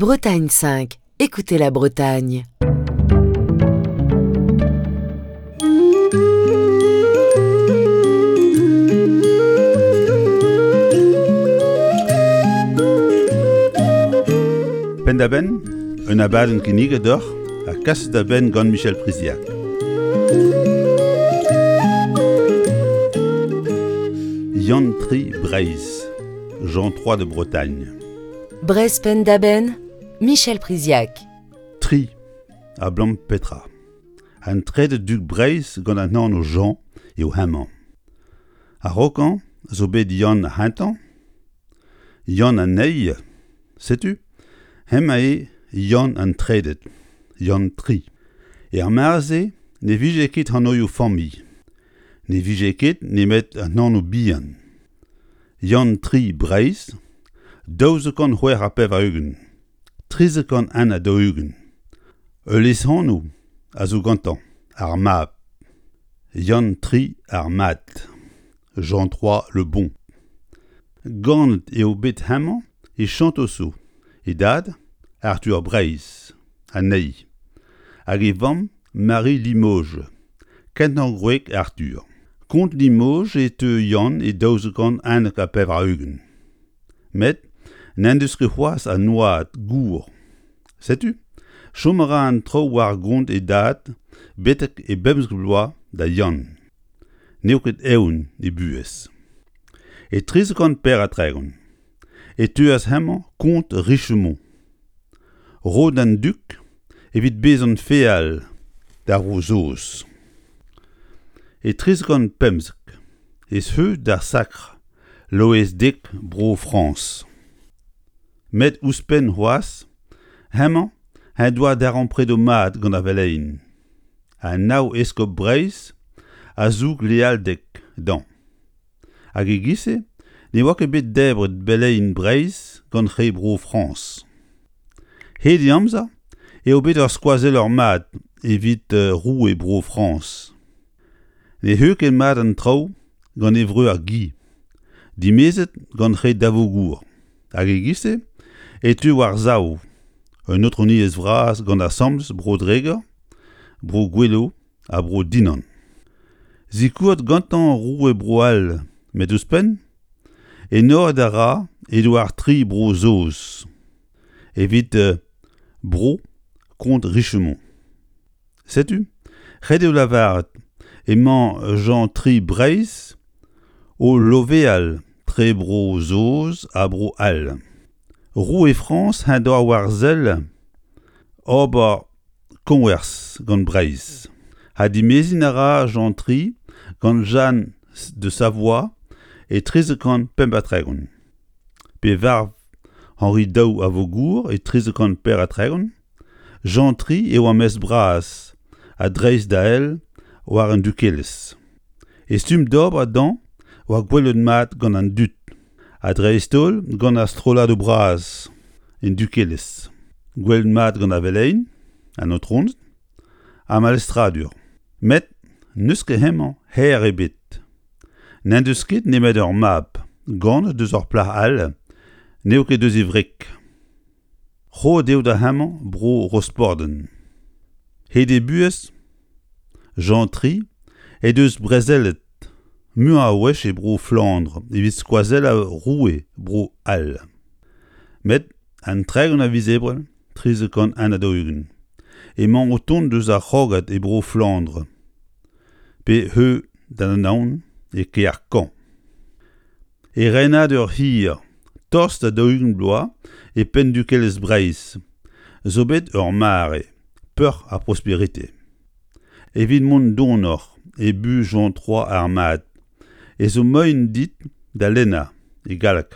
Bretagne 5, écoutez la Bretagne. Penn-da-benn, un abadenn kinniget deoc'h ha kaset da benn gant Michel Priziac. Yann Tri Breizh, Jean III de Bretagne. Breizh penn-da-benn, Michel Priziac. Tri, ablam petra? An trede dug Breizh gant an anv Jean eo hemañ. A-raokañ zo bet Yann ar C'hentañ, Yann an Eil, setu hemañ eo Yann an Treded, Yann Tri. Er mare-se ne vije ket anvioù familh, ne vije ket nemet an anv-bihan. Yann Tri Breizh, 1286, 1341. Ul lesanv a zo gantañ, ar Mab. Yann Tri ar Mad, Jean III le Bon. Ganet eo bet hemañ e Champtoceaux, e dad, Arthur Breizh, anezhi, hag e vamm Marie Limoges, kentañ gwreg Arthur. Kont Limoges e teu Yann e 1291. Met n'en deus ket c'hoazh an oad gour. Setu, chom a ra an traoù war gont e dad betek e bemzek vloaz da Yann. N'eo ket eeun e buhez. E 1334 e teuas hemañ kont Richemont, roet d'an dug evit bezañ feal d'ar Vro-Saoz. E 1315 e zeu d'ar sakr Loeiz Dek Bro-Frañs. Met ouzhpenn c'hoazh, hemañ en doa darempredoù mat gant ar veleien. Ha nav eskob Breizh a zoug lealded dezhañ. Hag e-giz-se ne oa ket bet debret beleien Breizh gant re Bro-Frañs. Hed e amzer eo bet ur skoazeller mat evit roue Bro-Frañs. Ne c'heu ket mat an traoù gant e vreur Guy, dimezet gant re Davogour, hag e-giz-se e teu war-sav un aotrouniezh vras gant asambles Bro-Dreger, Bro-Goueloù ha Bro-Dinan. Sikouret gantañ roue Bro-All met ouzhpenn, enoret a ra Edouard III Bro-Saoz evit Bro kont Richemont. Setu, ret eo lavaret emañ Jean III Breizh o loveal tre Bro-Saoz ha Bro-All. Roue Frañs en doa war-sell ober koñvers gant Breizh ha dimeziñ a ra Jean III gant Jeanne de Savoie e 1335. Pe varv Henri II a Vogour e 1334, Jean III eo ar mestr bras ha dreistdael war an dukelezh. E stumm d'ober dezhañ oa gwelet mat gant an dud, ha dreist-holl gant ar strolladoù bras en dukelezh. Gwelet mat gant ar veleien, an aotroned, ar melestradur. Met n'eus ket hemañ hêr ebet. N'en deus ket nemet ur mab, ganet eus ur plac'h all, n'eo ket eus e wreg. Roet eo da hemañ bro Rosporden. Hed e buhez, Jean III he deus brezelet muiañ a wech e bro Flandr evit skoazellañ roue Bro-C'hall. Met an 30 a viz Ebrel 1341 emañ o tont eus ar c'hrogad e bro Flandr pe heu d'an Anaon e kêr Caen. E renadur hir, tost da 40 bloaz e penn dukelezh Breizh, zo bet ur mare peoc'h ha prosperite. Evit mont donoc'h e buhez Jean III ar Mad ez zo moaien dit da lennañ, e galleg,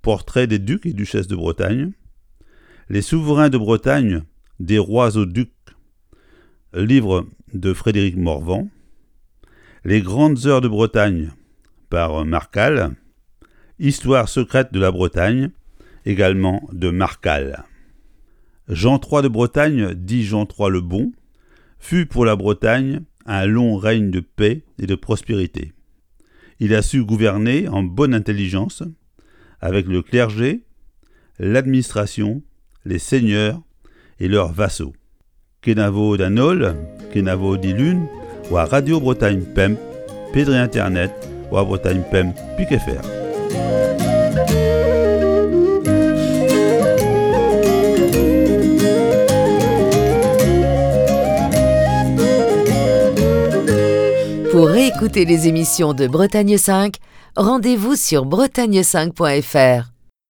Portrait des ducs et duchesses de Bretagne, Les souverains de Bretagne, des rois aux ducs, livre de Frédéric Morvan, Les grandes heures de Bretagne par Marcal, Histoire secrète de la Bretagne, également de Marcal. Jean III de Bretagne, dit Jean III le Bon, fut pour la Bretagne un long règne de paix et de prospérité. Il a su gouverner en bonne intelligence avec le clergé, l'administration, Les seigneurs et leurs vassaux. Kenavo d'an holl, kenavo dilun, war Radio Bretagne Pemp, pe dre internet war Bretagne Pemp pik fr. Pour réécouter les émissions de Bretagne 5, rendez-vous sur bretagne5.fr.